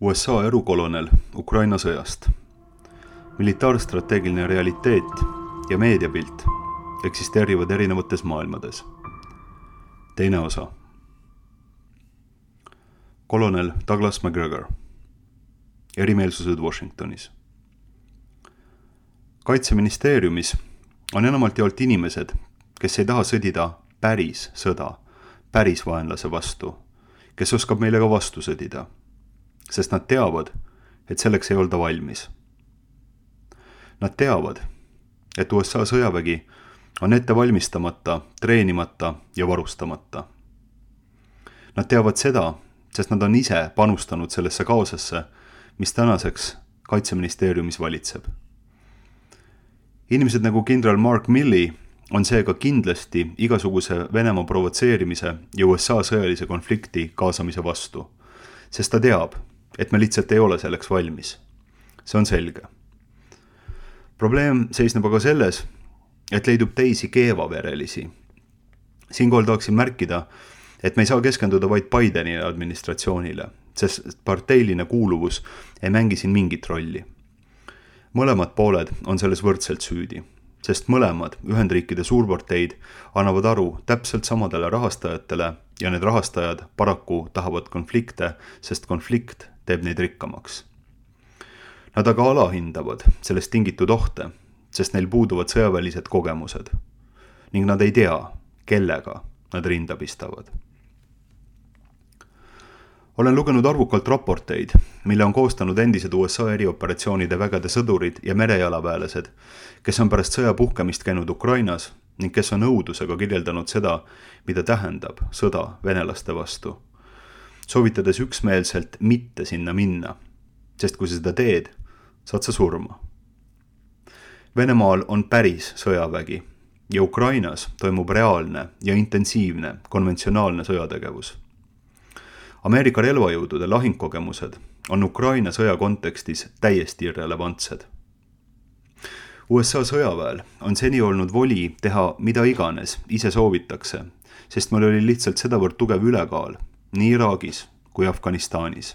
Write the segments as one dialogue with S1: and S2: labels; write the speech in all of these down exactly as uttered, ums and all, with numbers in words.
S1: U S A erukolonel Ukraina sõjast. Militaarstrateegiline realiteet ja meediapilt eksisteerivad erinevates maailmades. Teine osa. Kolonel Douglas Macgregor. Erimeelsused Washingtonis. Kaitseministeeriumis on enamalt jaolt inimesed, kes ei taha sõdida päris sõda, päris vaenlase vastu, kes oskab meile ka vastu sõdida, sest nad teavad, et selleks ei olda valmis. Nad teavad, et U S A sõjavägi on ette valmistamata, treenimata ja varustamata. Nad teavad seda, sest nad on ise panustanud sellesse kaosesse, mis tänaseks Kaitseministeeriumis valitseb. Inimesed nagu kindral Mark Milley on seega kindlasti igasuguse Venemaa provotseerimise ja U S A sõjalise konflikti kaasamise vastu, sest ta teab, et me lihtsalt ei ole selleks valmis. See on selge. Probleem seisneb aga selles, et leidub teisi keevaverelisi. Siinkohal tahaksin märkida, et me ei saa keskenduda vaid Bideni administratsioonile, sest parteiline kuuluvus ei mängi siin mingit rolli. Mõlemad pooled on selles võrdselt süüdi, sest mõlemad Ühendriikide suurparteid annavad aru täpselt samadele rahastajatele ja need rahastajad paraku tahavad konflikte, sest konflikt teeb neid rikkamaks. Nad aga alahindavad sellest tingitud ohte, sest neil puuduvad sõjavälised kogemused ning nad ei tea, kellega nad rinda pistavad. Olen lugenud arvukalt raporteid, mille on koostanud endised U S A erioperatsioonide vägede sõdurid ja merejalaväelased, kes on pärast sõja puhkemist käinud Ukrainas ning kes on õudusega kirjeldanud seda, mida tähendab sõda venelaste vastu, soovitades üksmeelselt mitte sinna minna, sest kui sa seda teed, saad sa surma. Venemaal on päris sõjavägi ja Ukrainas toimub reaalne ja intensiivne konventsionaalne sõjategevus. Ameerika relvajõudude lahingkogemused on Ukraina sõja kontekstis täiesti irrelevantsed. U S A sõjaväel on seni olnud voli teha mida iganes ise soovitakse, sest meil oli lihtsalt sedavõrd tugev ülekaal nii Iraagis kui Afganistanis,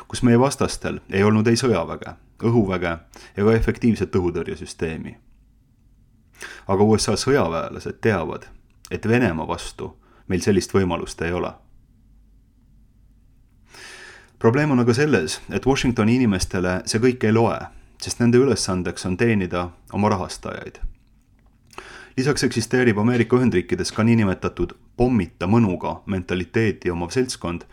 S1: kus meie vastastel ei olnud ei sõjaväge, õhuväge ega efektiivset õhutõrjesüsteemi. Aga U S A sõjaväelased teavad, et Venemaa vastu meil sellist võimalust ei ole. Probleem on aga selles, et Washingtoni inimestele see kõik ei loe, sest nende ülesandeks on teenida oma rahastajaid. Lisaks eksisteerib Ameerika Ühendriikides ka niinimetatud pommita mõnuga mentaliteeti omav seltskond,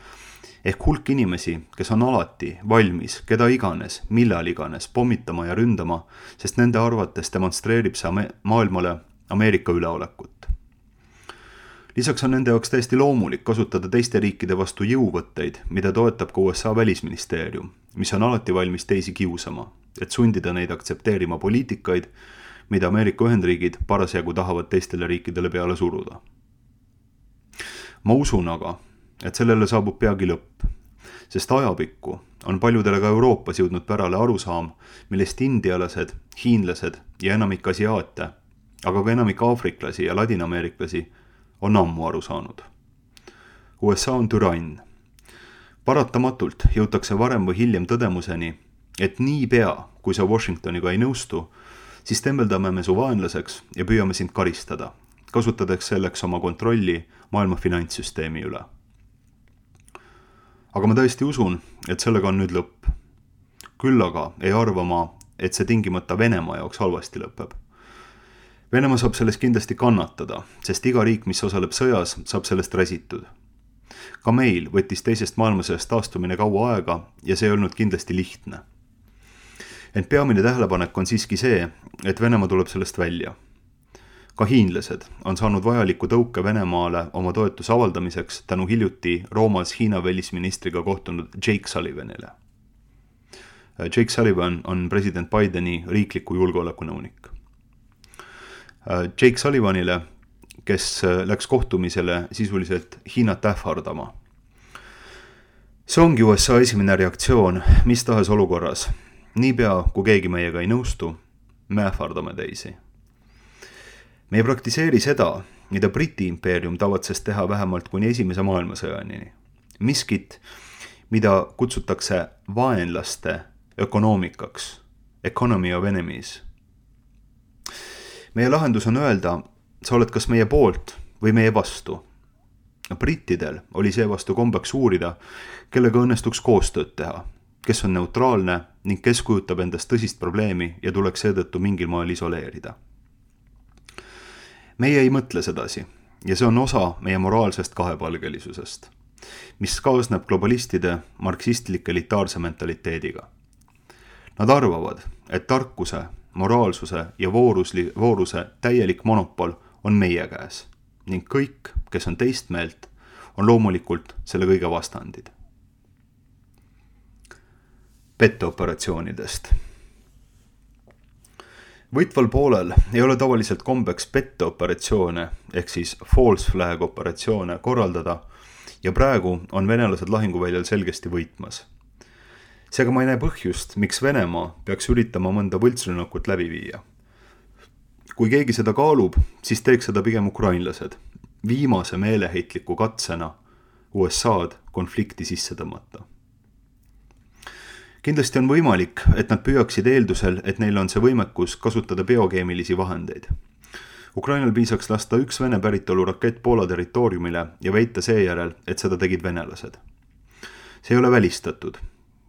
S1: ehk hulk inimesi, kes on alati valmis keda iganes, millal iganes pommitama ja ründama, sest nende arvates demonstreerib see maailmale Ameerika üleolekut. Lisaks on nende jaoks täiesti loomulik kasutada teiste riikide vastu jõuvõtteid, mida toetab ka U S A välisministeerium, mis on alati valmis teisi kiusama, et sundida neid aktsepteerima poliitikaid, mida Ameerika Ühendriigid parasjagu tahavad teistele riikidele peale suruda. Ma usun aga, et sellele saabub peagi lõpp, sest ajapikku on paljudele ka Euroopas jõudnud pärale arusaam, millest indialased, hiinlased ja enamik asiaate, aga ka enamik aafriklasi ja ladinaameeriklasi on ammu aru saanud. U S A on türann. Paratamatult jõutakse varem või hiljem tõdemuseni, et nii pea, kui sa Washingtoniga ei nõustu, siis tembeldame me su vaenlaseks ja püüame sind karistada, kasutades selleks oma kontrolli maailma finantssüsteemi üle. Aga ma tõesti usun, et sellega on nüüd lõpp. Küll aga ei arva ma, et see tingimata Venemaa jaoks halvasti lõpeb. Venemaa saab sellest kindlasti kannatada, sest iga riik, mis osaleb sõjas, saab sellest räsitud. Ka meil võttis teisest maailmasõjast taastumine kaua aega ja see ei olnud kindlasti lihtne. Ent peamine tähelepanek on siiski see, et Venemaa tuleb sellest välja. Ka hiinlased on saanud vajaliku tõuke Venemaale oma toetuse avaldamiseks tänu hiljuti Roomas Hiina välisministriga kohtunud Jake Sullivanile. Jake Sullivan on president Bideni riikliku julgeolekunõunik. Jake Sullivanile, kes läks kohtumisele sisuliselt Hiinat ähvardama. See ongi U S A esimene reaktsioon mis tahes olukorras. Niipea, kui keegi meiega ei nõustu, me ähvardame teisi. Me ei praktiseeri seda, mida Briti impeerium tavatses teha vähemalt kuni esimese maailmasõjanini. Miskit, mida kutsutakse vaenlaste ökonoomikaks, economy of enemies. Meie lahendus on öelda, sa oled kas meie poolt või meie vastu. Brittidel oli seevastu kombeks uurida, kellega õnnestuks koostööd teha, kes on neutraalne ning kes kujutab endast tõsist probleemi ja tuleks seetõttu mingil moel isoleerida. Meie ei mõtle sedasi ja see on osa meie moraalsest kahepalgelisusest, mis kaasneb globalistide marksistlike elitaarse mentaliteediga. Nad arvavad, et tarkuse, moraalsuse ja voorusli, vooruse täielik monopol on meie käes ning kõik, kes on teist meelt, on loomulikult selle kõige vastandid. Petteoperatsioonidest. Võitval poolel ei ole tavaliselt kombeks petteoperatsioone ehk siis false flag operatsioone korraldada ja praegu on venelased lahinguväljal selgesti võitmas. Seega ma ei näe põhjust, miks Venemaa peaks üritama mõnda võltsrünnakut läbi viia. Kui keegi seda kaalub, siis teeks seda pigem ukrainlased, viimase meeleheitliku katsena U S A-d konflikti sisse tõmmata. Kindlasti on võimalik, et nad püüaksid eeldusel, et neil on see võimekus kasutada biokeemilisi vahendeid. Ukrainal piisaks lasta üks Vene päritolu rakett Poola territooriumile ja väita seejärel, et seda tegid venelased. See ei ole välistatud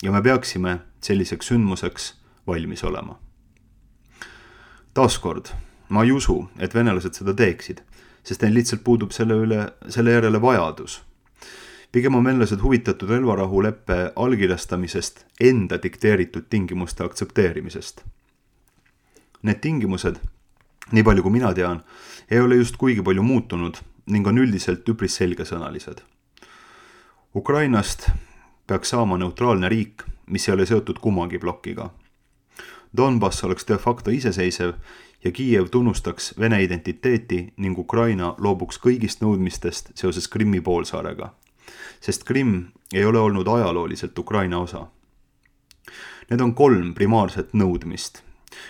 S1: ja me peaksime selliseks sündmuseks valmis olema. Taaskord, ma ei usu, et venelased seda teeksid, sest neil lihtsalt puudub selle, üle, selle järele vajadus. Pigem on venelased huvitatud relvarahuleppe allkirjastamisest enda dikteeritud tingimuste aktsepteerimisest. Need tingimused, nii palju kui mina tean, ei ole just kuigi palju muutunud ning on üldiselt üpris selgesõnalised. Ukrainast peaks saama neutraalne riik, mis ei ole seotud kummagi plokiga. Donbass oleks de facto iseseisev ja Kiiev tunnustaks Vene identiteeti ning Ukraina loobuks kõigist nõudmistest seoses Krimmi poolsaarega, sest Krimm ei ole olnud ajalooliselt Ukraina osa. Need on kolm primaarset nõudmist,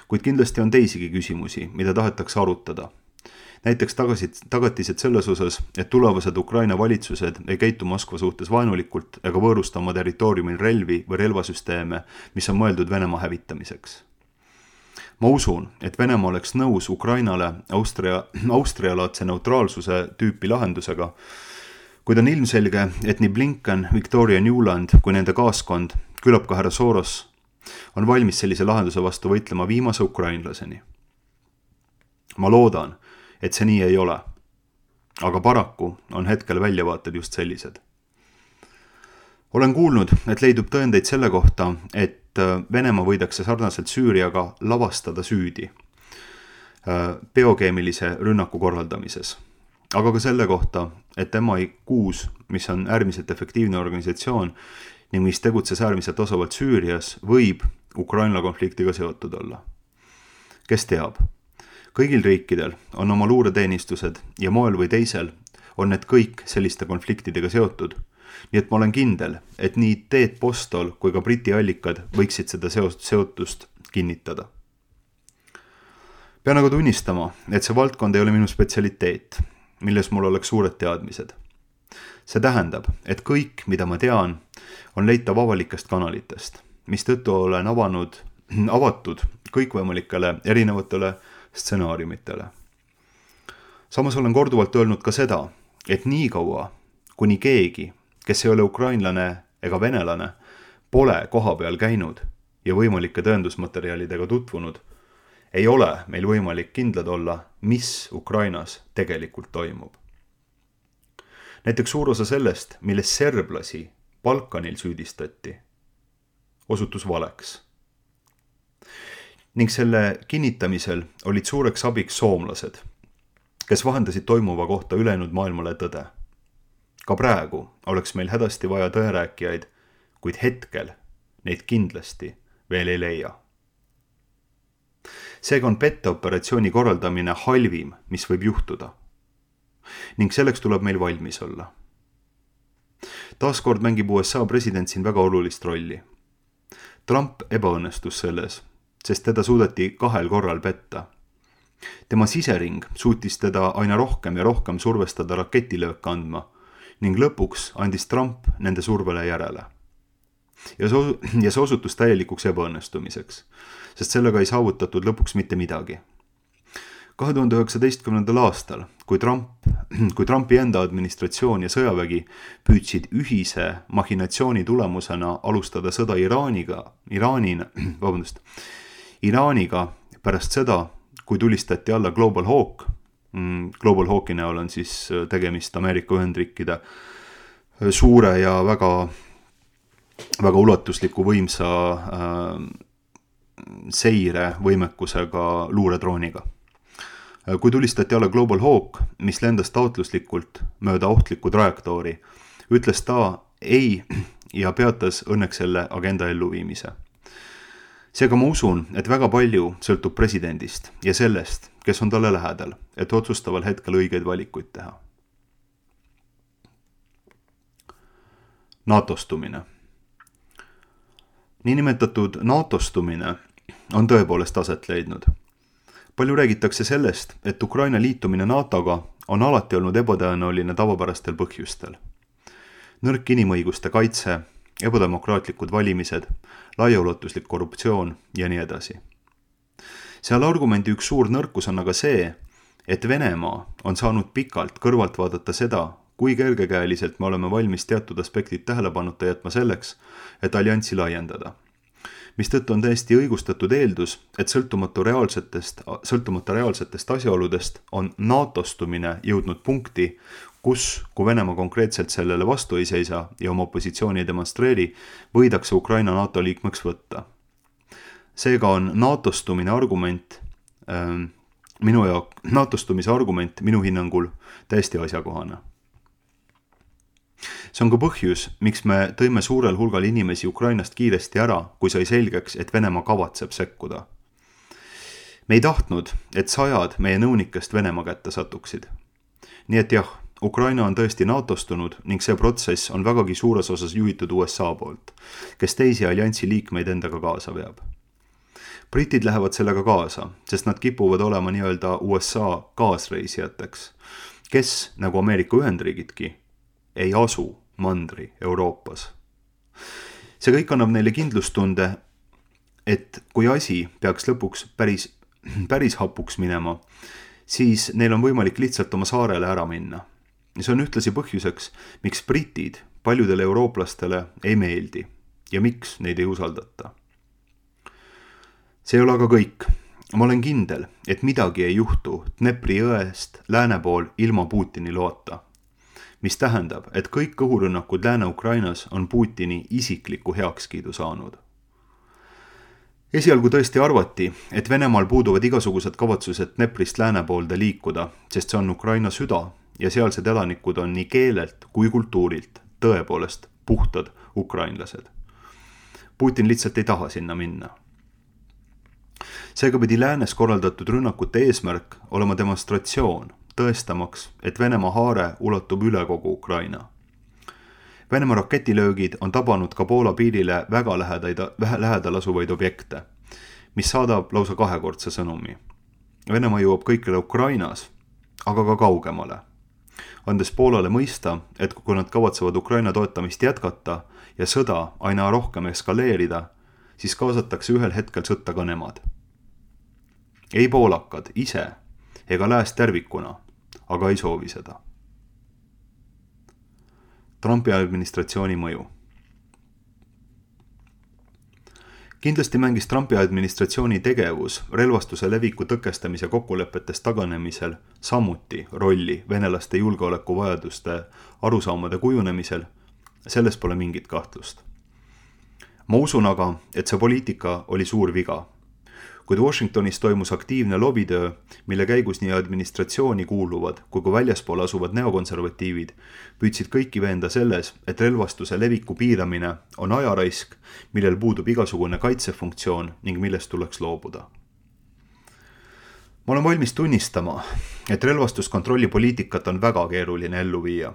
S1: kuid kindlasti on teisigi küsimusi, mida tahetakse arutada. Näiteks tagasid, tagatised selles osas, et tulevased Ukraina valitsused ei käitu Moskva suhtes vaenulikult ega võõrusta oma territooriumil relvi või relvasüsteeme, mis on mõeldud Venemaa hävitamiseks. Ma usun, et Venemaa oleks nõus Ukrainale Austria, Austrialaadse neutraalsuse tüüpi lahendusega, kuid on ilmselge, et nii Blinken, Victoria Newland kui nende kaaskond, küllap ka härra Soros, on valmis sellise lahenduse vastu võitlema viimase ukrainlaseni. Ma loodan, et see nii ei ole, aga paraku on hetkel väljavaated just sellised. Olen kuulnud, et leidub tõendeid selle kohta, et Venemaa võidakse sarnaselt Süüriaga lavastada süüdi biokeemilise rünnaku korraldamises. Aga ka selle kohta, et M I kuus, mis on äärmiselt efektiivne organisatsioon ning mis tegutses äärmiselt osavalt Süürias, võib Ukraina konfliktiga seotud olla. Kes teab? Kõigil riikidel on oma luureteenistused ja moel või teisel on need kõik selliste konfliktidega seotud, nii et ma olen kindel, et nii Ted Postol kui ka Briti allikad võiksid seda seotust kinnitada. Pean aga tunnistama, et see valdkond ei ole minu spetsialiteet, milles mul oleks suured teadmised. See tähendab, et kõik, mida ma tean, on leitav avalikest kanalitest, mis tõttu olen avanud, avatud kõikvõimalikele erinevatele stsenaariumitele. Samas olen korduvalt öelnud ka seda, et nii kaua, kuni keegi, kes ei ole ukrainlane ega venelane, pole koha peal käinud ja võimalike tõendusmaterjalidega tutvunud, ei ole meil võimalik kindlad olla, mis Ukrainas tegelikult toimub. Näiteks suur osa sellest, milles serblasi Balkanil süüdistati, osutus valeks. Ning selle kinnitamisel olid suureks abiks soomlased, kes vahendasid toimuva kohta ülejäänud maailmale tõde. Ka praegu oleks meil hädasti vaja tõerääkijaid, kuid hetkel neid kindlasti veel ei leia. Seega on petteoperatsiooni korraldamine halvim, mis võib juhtuda. Ning selleks tuleb meil valmis olla. Taaskord mängib U S A president siin väga olulist rolli. Trump ebaõnnestus selles, sest teda suudeti kahel korral petta. Tema sisering suutis teda aina rohkem ja rohkem survestada raketilööke andma ning lõpuks andis Trump nende survele järele. ja see, ja see osutus täielikuks ebaõnnestumiseks, sest sellega ei saavutatud lõpuks mitte midagi. kahe tuhande üheksateistkümnendal aastal, kui Trump, kui Trumpi enda administratsioon ja sõjavägi püüdsid ühise machinatsiooni tulemusena alustada sõda Iraaniga, Iraanina, vabandust, Iraaniga pärast seda, kui tulistati alla Global Hawk, Global Hawki näol on siis tegemist Ameerika Ühendriikide suure ja väga, väga ulatusliku võimsa äh, seire võimekusega luuredrooniga. Kui tulistati alla Global Hawk, mis lendas taotluslikult mööda ohtlikku trajektoori, ütles ta ei ja peatas õnneks selle agenda elluviimise. Seega ma usun, et väga palju sõltub presidendist ja sellest, kes on talle lähedal, et otsustaval hetkel õigeid valikuid teha. NATO-stumine. Niinimetatud NATO-stumine on tõepoolest aset leidnud. Palju räägitakse sellest, et Ukraina liitumine NATOga on alati olnud ebatõenäoline tavapärastel põhjustel. Nõrk inimõiguste kaitse, ebademokraatlikud valimised, laiaulatuslik korruptsioon ja nii edasi. Seal argumendi üks suur nõrkus on aga see, et Venemaa on saanud pikalt kõrvalt vaadata seda, kui kergekäeliselt me oleme valmis teatud aspektid tähelepanuta jätma selleks, et allianssi laiendada. Mistõttu on täiesti õigustatud eeldus, et sõltumata reaalsetest, sõltumata reaalsetest asjaoludest on NATO-stumine jõudnud punkti, kus, kui Venemaa konkreetselt sellele vastu ei seisa ja oma positsiooni ei demonstreeri, võidakse Ukraina NATO liikmeks võtta. Seega on NATO-stumine argument, äh, minu jaoks, NATO-stumise argument minu hinnangul täiesti asjakohane. See on ka põhjus, miks me tõime suurel hulgal inimesi Ukrainast kiiresti ära, kui sai selgeks, et Venemaa kavatseb sekkuda. Me ei tahtnud, et sajad meie nõunikest Venemaa kätte satuksid. Nii et jah, Ukraina on tõesti NATO-stunud ning see protsess on vägagi suures osas juhitud U S A poolt, kes teisi alliansi liikmeid endaga kaasa veab. Britid lähevad sellega kaasa, sest nad kipuvad olema nii-öelda U S A kaasreisijateks, kes, nagu Ameerika Ühendriigidki, ei asu mandri Euroopas. See kõik annab neile kindlustunde, et kui asi peaks lõpuks päris, päris hapuks minema, siis neil on võimalik lihtsalt oma saarele ära minna. See on ühtlasi põhjuseks, miks britid paljudele eurooplastele ei meeldi ja miks neid ei usaldata. See ei ole aga kõik. Ma olen kindel, et midagi ei juhtu Dnepri jõest lääne pool ilma Putini loota, mis tähendab, et kõik õhurünnakud Lääne-Ukrainas on Putini isikliku heakskiidu saanud. Esialgu tõesti arvati, et Venemaal puuduvad igasugused kavatsused Dneprist lääne poolde liikuda, sest see on Ukraina süda ja sealsed elanikud on nii keelelt kui kultuurilt tõepoolest puhtad ukrainlased. Putin lihtsalt ei taha sinna minna. Seega pidi läänes korraldatud rünnakute eesmärk olema demonstratsioon, tõestamaks, et Venemaa haare ulatub üle kogu Ukraina. Venemaa raketilöögid on tabanud ka Poola piirile väga lähedal asuvaid objekte, mis saadab lausa kahekordse sõnumi. Venemaa jõuab kõikjale Ukrainas, aga ka kaugemale, andes Poolale mõista, et kui nad kavatsevad Ukraina toetamist jätkata ja sõda aina rohkem eskaleerida, siis kaasatakse ühel hetkel sõtta ka nemad. Ei poolakad ise ega lääs tervikuna, aga ei soovi seda. Trumpi administratsiooni mõju. Kindlasti mängis Trumpi administratsiooni tegevus relvastuse leviku tõkestamise kokkulepetest taganemisel samuti rolli venelaste julgeolekuvajaduste arusaamade kujunemisel, selles pole mingit kahtlust. Ma usun aga, et see poliitika oli suur viga. Kuid Washingtonis toimus aktiivne lobitöö, mille käigus nii administratsiooni kuuluvad kui ka väljaspool asuvad neokonservatiivid püüdsid kõiki veenda selles, et relvastuse leviku piiramine on ajaraisk, millel puudub igasugune kaitsefunktsioon ning millest tuleks loobuda. Ma olen valmis tunnistama, et relvastuskontrolli poliitikat on väga keeruline ellu viia.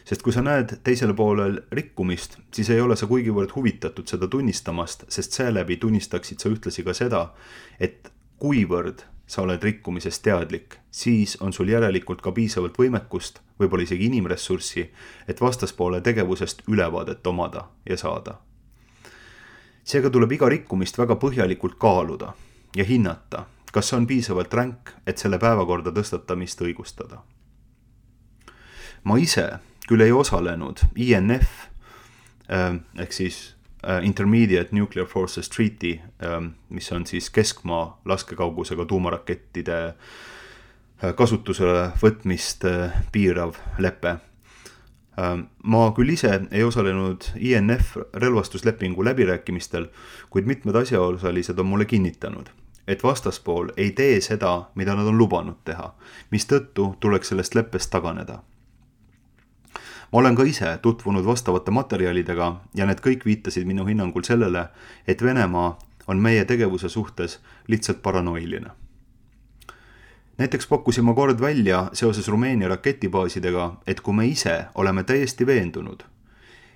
S1: Sest kui sa näed teisele poolel rikkumist, siis ei ole sa kuigivõrd huvitatud seda tunnistamast, sest seeläbi tunnistaksid sa ühtlasi ka seda, et kuivõrd sa oled rikkumisest teadlik, siis on sul järelikult ka piisavalt võimekust, võib-olla isegi inimressurssi, et vastaspoole tegevusest ülevaadet omada ja saada. Seega tuleb iga rikkumist väga põhjalikult kaaluda ja hinnata, kas see on piisavalt ränk, et selle päevakorda tõstatamist õigustada. Ma ise küll ei osalenud I N F ehk siis Intermediate Nuclear Forces Treaty, mis on siis keskmaa laskekaugusega tuumarakettide kasutusele võtmist piirav lepe. Ma küll ise ei osalenud I N F relvastuslepingu läbirääkimistel, kuid mitmed asjaosalised on mulle kinnitanud, et vastaspool ei tee seda, mida nad on lubanud teha, mistõttu tuleks sellest leppest taganeda. Ma olen ka ise tutvunud vastavate materjalidega ja need kõik viitasid minu hinnangul sellele, et Venemaa on meie tegevuse suhtes lihtsalt paranoiline. Näiteks pakkusin ma kord välja seoses Rumeenia raketibaasidega, et kui me ise oleme täiesti veendunud,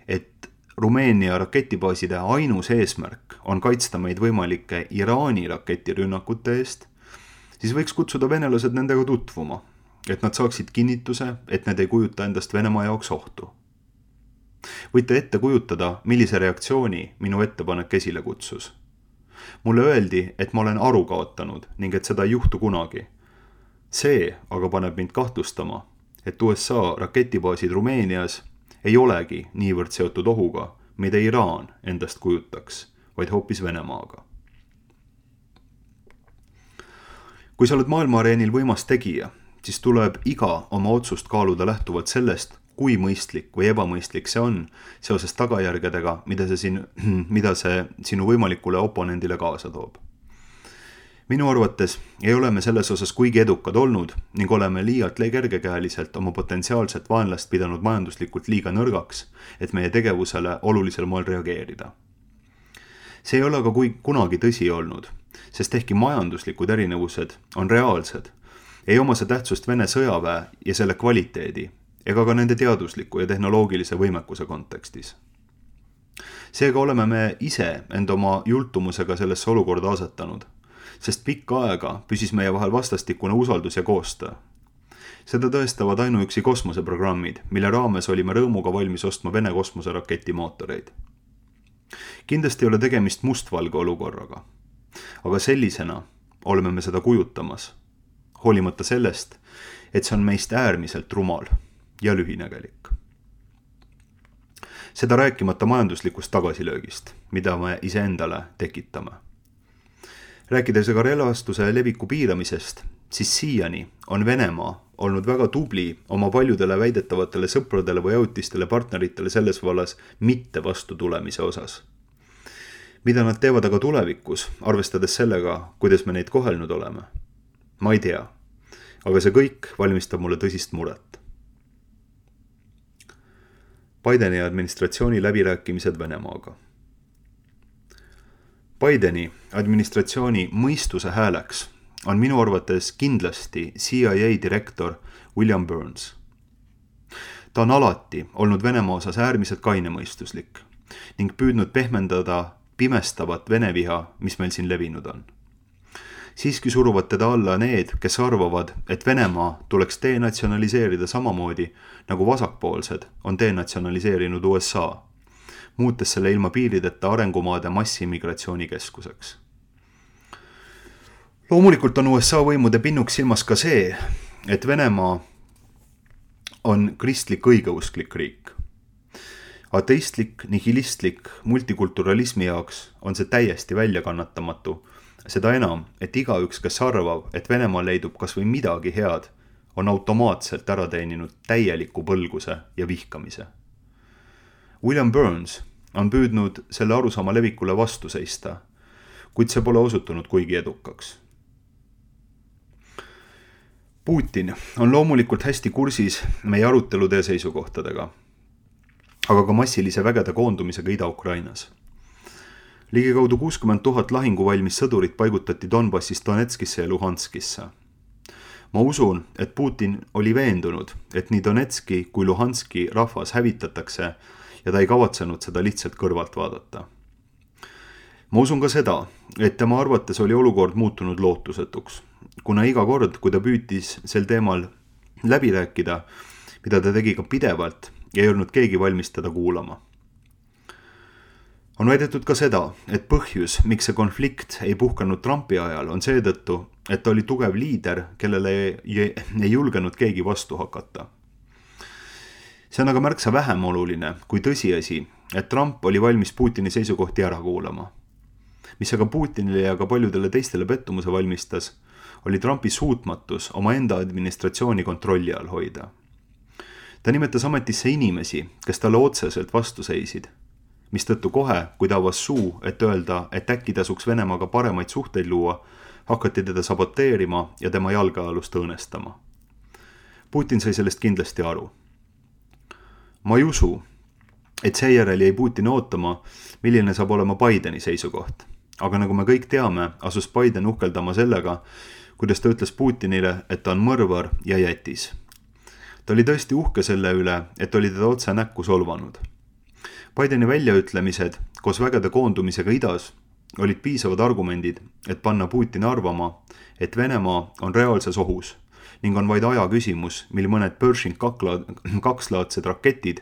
S1: et Rumeenia raketibaaside ainus eesmärk on kaitsta meid võimalike Iraani raketirünnakute eest, siis võiks kutsuda venelased nendega tutvuma, et nad saaksid kinnituse, et need ei kujuta endast Venemaa jaoks ohtu. Võite ette kujutada, millise reaktsiooni minu ettepanek esile kutsus. Mulle öeldi, et ma olen aru kaotanud ning et seda ei juhtu kunagi. See aga paneb mind kahtlustama, et U S A raketibaasid Rumeenias ei olegi niivõrd seotud ohuga, mida Iraan endast kujutaks, vaid hoopis Venemaaga. Kui sa oled maailma areenil võimas tegija, siis tuleb iga oma otsust kaaluda lähtuvalt sellest, kui mõistlik või ebamõistlik see on seoses tagajärgedega, mida see, siin, mida see sinu võimalikule oponendile kaasa toob. Minu arvates ei ole me selles osas kuigi edukad olnud ning oleme liialt kergekäeliselt oma potentsiaalset vaenlast pidanud majanduslikult liiga nõrgaks, et meie tegevusele olulisel moel reageerida. See ei ole aga kui kunagi tõsi olnud, sest ehkki majanduslikud erinevused on reaalsed, ei oma see tähtsust Vene sõjaväe ja selle kvaliteedi ega ka nende teadusliku ja tehnoloogilise võimekuse kontekstis. Seega oleme me ise end oma jultumusega sellesse olukorda asetanud, sest pikka aega püsis meie vahel vastastikune usaldus ja koostöö. Seda tõestavad ainuüksi kosmoseprogrammid, mille raames olime rõõmuga valmis ostma Vene kosmoseraketi mootoreid. Kindlasti ei ole tegemist mustvalge olukorraga, aga sellisena oleme me seda kujutamas, hoolimata sellest, et see on meist äärmiselt rumal ja lühinägelik. Seda rääkimata majanduslikust tagasilöögist, mida me iseendale tekitame. Rääkides aga relvastuse leviku piiramisest, siis siiani on Venemaa olnud väga tubli oma paljudele väidetavatele sõpradele või ajutistele partneritele selles vallas mitte vastu tulemise osas. Mida nad teevad aga tulevikus, arvestades sellega, kuidas me neid kohelnud oleme? Ma ei tea, aga see kõik valmistab mulle tõsist muret. Bideni administratsiooni läbirääkimised Venemaaga. Bideni administratsiooni mõistuse hääleks on minu arvates kindlasti C I A direktor William Burns. Ta on alati olnud Venemaa osas äärmiselt kainemõistuslik ning püüdnud pehmendada pimestavat veneviha, mis meil siin levinud on. Siiski suruvad teda alla need, kes arvavad, et Venemaa tuleks denatsionaliseerida samamoodi, nagu vasakpoolsed on denatsionaliseerinud U S A, muutes selle ilma piirideta arengumaade massiimmigratsioonikeskuseks. Loomulikult on U S A võimude pinnuks silmas ka see, et Venemaa on kristlik õigeusklik riik. Ateistlik, nihilistlik multikulturalismi jaoks on see täiesti väljakannatamatu, seda enam, et igaüks, kes arvab, et Venemaal leidub kas või midagi head, on automaatselt ära teeninud täieliku põlguse ja vihkamise. William Burns on püüdnud selle arusaama levikule vastu seista, kuid see pole osutunud kuigi edukaks. Putin on loomulikult hästi kursis meie arutelude ja seisukohtadega, aga ka massilise vägede koondumisega Ida-Ukrainas. Ligikaudu kuuskümmend tuhat lahinguvalmis sõdurit paigutati Donbassist Donetskisse ja Luhanskisse. Ma usun, et Putin oli veendunud, et nii Donetski kui Luhanski rahvas hävitatakse ja ta ei kavatsenud seda lihtsalt kõrvalt vaadata. Ma usun ka seda, et tema arvates oli olukord muutunud lootusetuks, kuna iga kord, kui ta püütis sel teemal läbi rääkida, mida ta tegi ka pidevalt, ei olnud keegi valmis teda kuulama. On väidetud ka seda, et põhjus, miks see konflikt ei puhkanud Trumpi ajal, on seetõttu, et ta oli tugev liider, kellele ei, ei julgenud keegi vastu hakata. See on aga märksa vähem oluline kui tõsiasi, et Trump oli valmis Putini seisukohti ära kuulama. Mis aga Putinile ja ka paljudele teistele pettumuse valmistas, oli Trumpi suutmatus oma enda administratsiooni kontrolli all hoida. Ta nimetas ametisse inimesi, kes talle otseselt vastu seisid, mistõttu kohe, kui ta avas suu, et öelda, et äkki tasuks Venemaaga paremaid suhteid luua, hakati teda saboteerima ja tema jalgealust õõnestama. Putin sai sellest kindlasti aru. Ma ei usu, et seejärel jäi Putin ootama, milline saab olema Bideni seisukoht. Aga nagu me kõik teame, asus Biden uhkeldama sellega, kuidas ta ütles Putinile, et ta on mõrvar ja jätis. Ta oli tõesti uhke selle üle, et oli teda otse näkku solvanud. Bideni väljaütlemised koos vägede koondumisega idas olid piisavad argumendid, et panna Putin arvama, et Venemaa on reaalses ohus ning on vaid aja küsimus, mil mõned Pershing kakslaadsed raketid,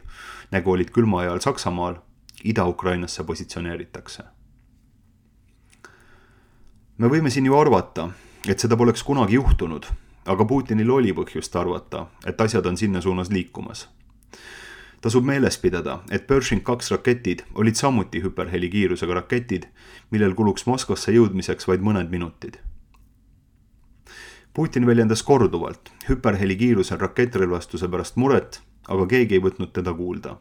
S1: nagu olid külma ajal Saksamaal, Ida-Ukrainasse positsioneeritakse. Me võime siin ju arvata, et seda poleks kunagi juhtunud, aga Putinil oli põhjust arvata, et asjad on sinna suunas liikumas. Tasub meeles pidada, et Pershing kaks raketid olid samuti hüperhelikiirusega raketid, millel kuluks Moskvasse jõudmiseks vaid mõned minutid. Putin väljendas korduvalt hüperhelikiirusel rakettrelvastuse pärast muret, aga keegi ei võtnud teda kuulda.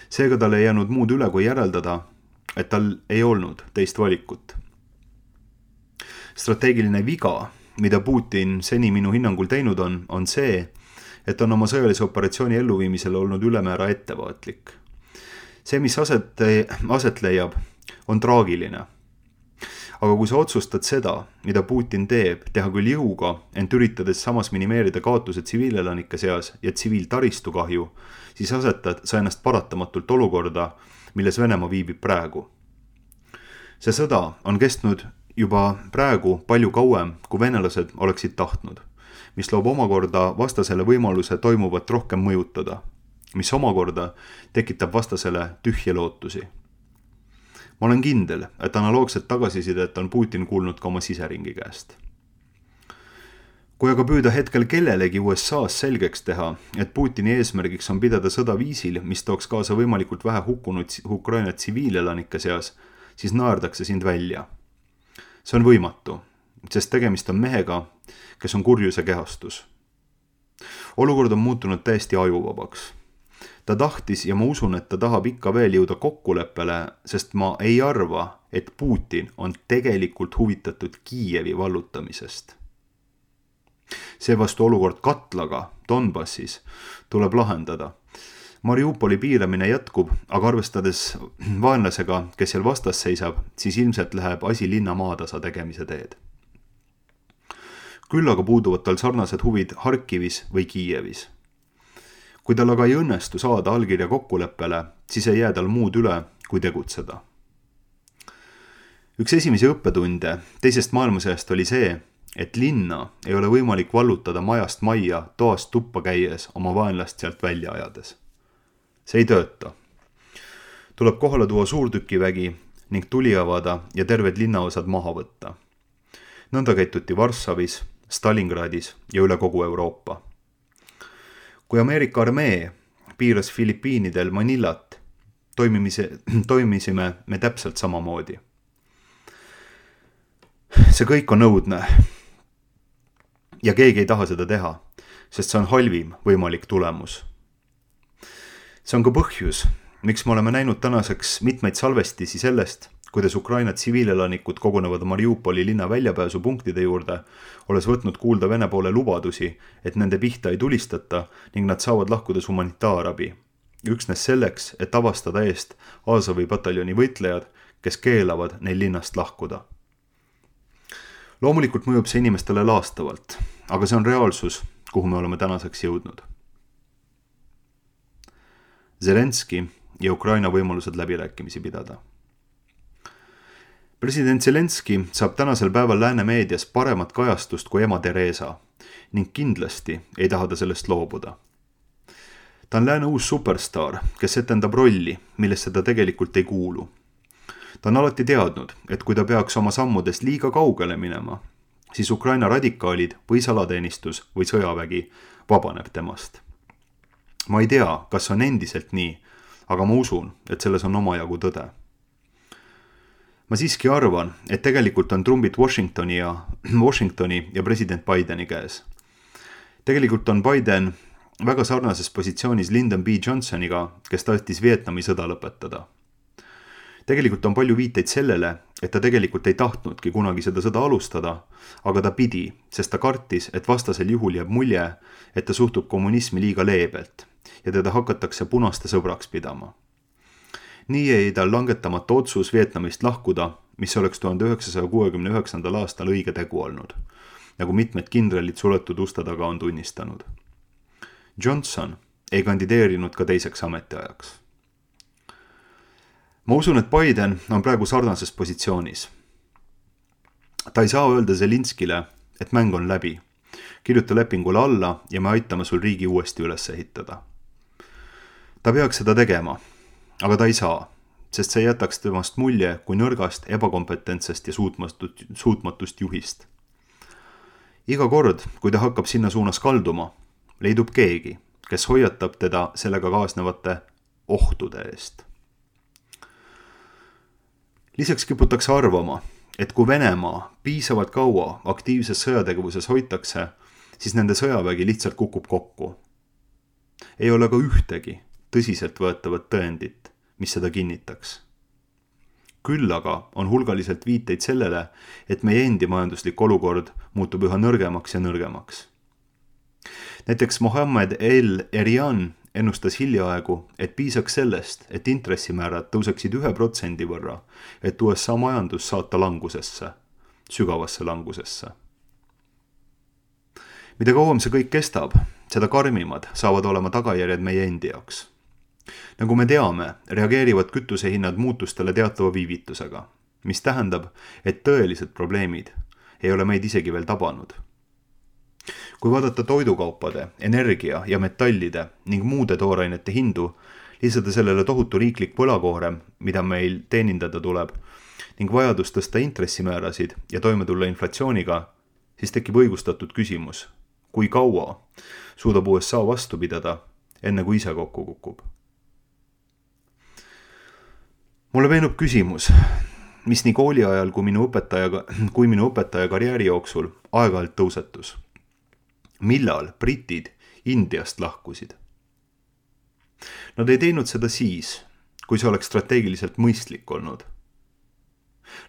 S1: Seega tal ei jäänud muud üle kui järeldada, et tal ei olnud teist valikut. Strateegiline viga, mida Putin seni minu hinnangul teinud on, on see, et on oma sõjalise operatsiooni elluviimisel olnud ülemäära ettevaatlik. See, mis aset, aset leiab, on traagiline. Aga kui sa otsustad seda, mida Putin teeb, teha küll jõuga, ent üritades samas minimeerida kaotuse tsiviilelanike seas ja tsiviiltaristu kahju, siis asetad sa ennast paratamatult olukorda, milles Venemaa viibib praegu. See sõda on kestnud juba praegu palju kauem, kui venelased oleksid tahtnud, mis loob omakorda vastasele võimaluse toimuvat rohkem mõjutada, mis omakorda tekitab vastasele tühje lootusi. Ma olen kindel, et analoogset tagasisidet on Putin kuulnud ka oma siseringi käest. Kui aga püüda hetkel kellelegi U S A-s selgeks teha, et Putini eesmärgiks on pidada sõda viisil, mis tooks kaasa võimalikult vähe hukkunud Ukraina tsiviilelanike seas, siis naerdakse sind välja. See on võimatu, sest tegemist on mehega, kes on kurjuse kehastus. Olukord on muutunud täiesti ajuvabaks. Ta tahtis ja ma usun, et ta tahab ikka veel jõuda kokkuleppele, sest ma ei arva, et Putin on tegelikult huvitatud Kiievi vallutamisest. Seevastu olukord Katlaga Donbassis tuleb lahendada. Mariupoli piiramine jätkub, aga arvestades vaenlasega, kes seal vastas seisab, siis ilmselt läheb asi linna maatasa tegemise teed. Küll aga puuduvad tal sarnased huvid Harkivis või Kiievis. Kui tal aga ei õnnestu saada allkirja kokkuleppele, siis ei jää tal muud üle, kui tegutseda. Üks esimesi õppetunde teisest maailmasõjast oli see, et linna ei ole võimalik vallutada majast majja toast tuppa käies oma vaenlast sealt välja ajades. See ei tööta. Tuleb kohale tuua suurtükivägi ning tuli avada ja terved linnaosad maha võtta. Nõnda käituti Varssavis, Stalingradis ja üle kogu Euroopa. Kui Ameerika armee piiras Filipiinidel Manillat, toimimise, toimisime me täpselt samamoodi. See kõik on õudne ja keegi ei taha seda teha, sest see on halvim võimalik tulemus. See on ka põhjus, miks me oleme näinud tänaseks mitmeid salvestisi sellest, kuidas Ukraina tsiviilelanikud kogunevad Mariupoli linna väljapääsupunktide juurde, olles võtnud kuulda Vene poole lubadusi, et nende pihta ei tulistata ning nad saavad lahkudes humanitaarabi. Üksnes selleks, et avastada eest Azovi pataljoni võitlejad, kes keelavad neil linnast lahkuda. Loomulikult mõjub see inimestele laastavalt, aga see on reaalsus, kuhu me oleme tänaseks jõudnud. Zelenski ja Ukraina võimalused läbirääkimisi pidada. President Zelenski saab tänasel päeval lääne meedias paremat kajastust kui ema Teresa ning kindlasti ei taha ta sellest loobuda. Ta on lääne uus superstar, kes etendab rolli, millesse ta tegelikult ei kuulu. Ta on alati teadnud, et kui ta peaks oma sammudest liiga kaugele minema, siis Ukraina radikaalid või salateenistus või sõjavägi vabaneb temast. Ma ei tea, kas on endiselt nii, aga ma usun, et selles on omajagu tõde. Ma siiski arvan, et tegelikult on trumbid Washingtoni ja, Washingtoni ja president Bideni käes. Tegelikult on Biden väga sarnases positsioonis Lyndon B. Johnsoniga, kes tahtis Vietnami sõda lõpetada. Tegelikult on palju viiteid sellele, et ta tegelikult ei tahtnudki kunagi seda sõda alustada, aga ta pidi, sest ta kartis, et vastasel juhul jääb mulje, et ta suhtub kommunismi liiga leebelt ja teda hakatakse punaste sõbraks pidama. Nii jäi tal langetamata otsus Vietnamist lahkuda, mis oleks tuhande üheksasaja kuuekümne üheksandal aastal õige tegu olnud, nagu mitmed kindralid suletud uste taga on tunnistanud. Johnson ei kandideerinud ka teiseks ametiajaks. Ma usun, et Biden on praegu sarnases positsioonis. Ta ei saa öelda Zelinskile, et mäng on läbi. Kirjuta lepingule alla ja me aitame sul riigi uuesti üles ehitada. Ta peaks seda tegema, aga ta ei saa, sest see jätaks temast mulje kui nõrgast, ebakompetentsest ja suutmatust, suutmatust juhist. Iga kord, kui ta hakkab sinna suunas kalduma, leidub keegi, kes hoiatab teda sellega kaasnevate ohtude eest. Lisaks kiputakse arvama, et kui Venemaa piisavalt kaua aktiivses sõjategevuses hoitakse, siis nende sõjavägi lihtsalt kukub kokku. Ei ole ka ühtegi tõsiselt võetavat tõendit, mis seda kinnitaks. Küll aga on hulgaliselt viiteid sellele, et meie endi majanduslik olukord muutub üha nõrgemaks ja nõrgemaks. Näiteks Mohammed El-Erian ennustas hiljaaegu, et piisaks sellest, et intressimäärad tõuseksid ühe protsendi võrra, et U S A majandus saata langusesse, sügavasse langusesse. Mida kauem see kõik kestab, seda karmimad saavad olema tagajärjed meie endi jaoks. Nagu me teame, reageerivad kütusehinnad muutustele teatava viivitusega, mis tähendab, et tõelised probleemid ei ole meid isegi veel tabanud. Kui vaadata toidukaupade, energia ja metallide ning muude toorainete hindu, lisada sellele tohutu riiklik võlakoorem, mida meil teenindada tuleb, ning vajadus tõsta intressimäärasid ja toime tulla inflatsiooniga, siis tekib õigustatud küsimus, kui kaua suudab U S A vastu pidada, enne kui ise kokku kukub. Mulle meenub küsimus, mis nii kooli ajal kui minu õpetaja, kui minu õpetaja karjääri jooksul aeg-ajalt tõusetus. Millal britid Indiast lahkusid? Nad ei teinud seda siis, kui see oleks strateegiliselt mõistlik olnud.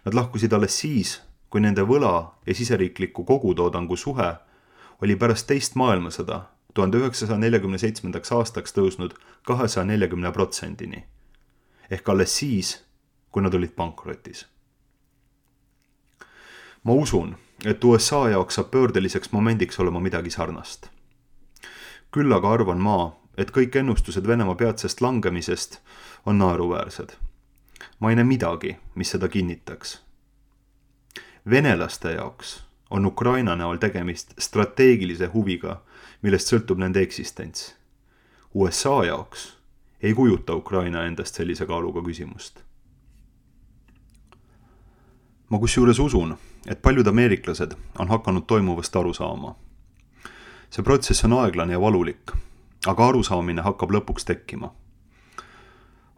S1: Nad lahkusid alles siis, kui nende võla ja siseriikliku kogutoodangu suhe oli pärast teist maailmasõda tuhande üheksasaja neljakümne seitsmendaks aastaks tõusnud kahesaja neljakümne protsendini. Ehk alles siis, kui nad olid pankrotis. Ma usun, et U S A jaoks saab pöördeliseks momendiks olema midagi sarnast. Küll aga arvan ma, et kõik ennustused Venemaa peatsest langemisest on naeruväärsed. Ma ei näe midagi, mis seda kinnitaks. Venelaste jaoks on Ukraina näol tegemist strateegilise huviga, millest sõltub nende eksistents. U S A jaoks ei kujuta Ukraina endast sellise kaaluga küsimust. Ma kusjuures usun, et paljud ameeriklased on hakanud toimuvast aru saama. See protsess on aeglane ja valulik, aga arusaamine hakkab lõpuks tekkima.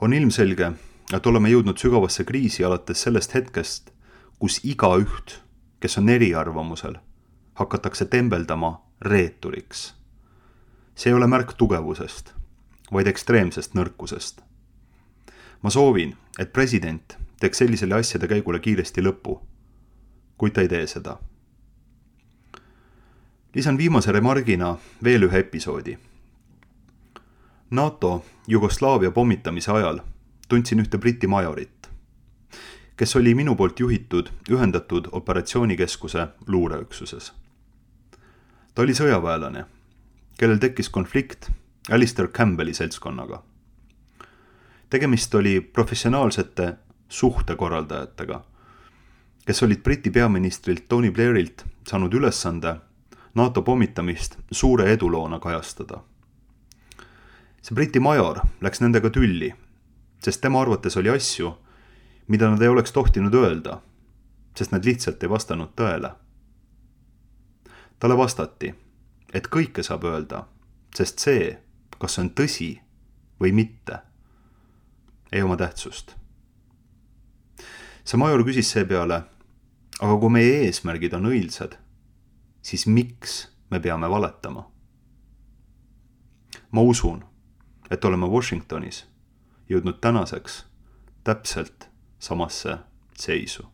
S1: On ilmselge, et oleme jõudnud sügavasse kriisi alates sellest hetkest, kus igaüht, kes on eriarvamusel, hakatakse tembeldama reeturiks. See ei ole märk tugevusest, vaid ekstreemsest nõrkusest. Ma soovin, et president teeks sellisele asjade käigule kiiresti lõpu, kuid ta ei tee seda. Lisan viimase remargina veel ühe episoodi. NATO Jugoslaavia pommitamise ajal tundsin ühte Briti majorit, kes oli minu poolt juhitud ühendatud operatsioonikeskuse luureüksuses. Ta oli sõjaväelane, kellel tekkis konflikt Alistair Campbelli seltskonnaga. Tegemist oli professionaalsete suhtekorraldajatega, kes olid Briti peaministrilt Tony Blairilt saanud ülesande NATO pommitamist suure eduloona kajastada. See Briti major läks nendega tülli, sest tema arvates oli asju, mida nad ei oleks tohtinud öelda, sest nad lihtsalt ei vastanud tõele. Talle vastati, et kõike saab öelda, sest see, kas on tõsi või mitte, ei oma tähtsust. See major küsis seepeale, aga kui meie eesmärgid on õilsad, siis miks me peame valetama? Ma usun, et oleme Washingtonis jõudnud tänaseks täpselt samasse seisu.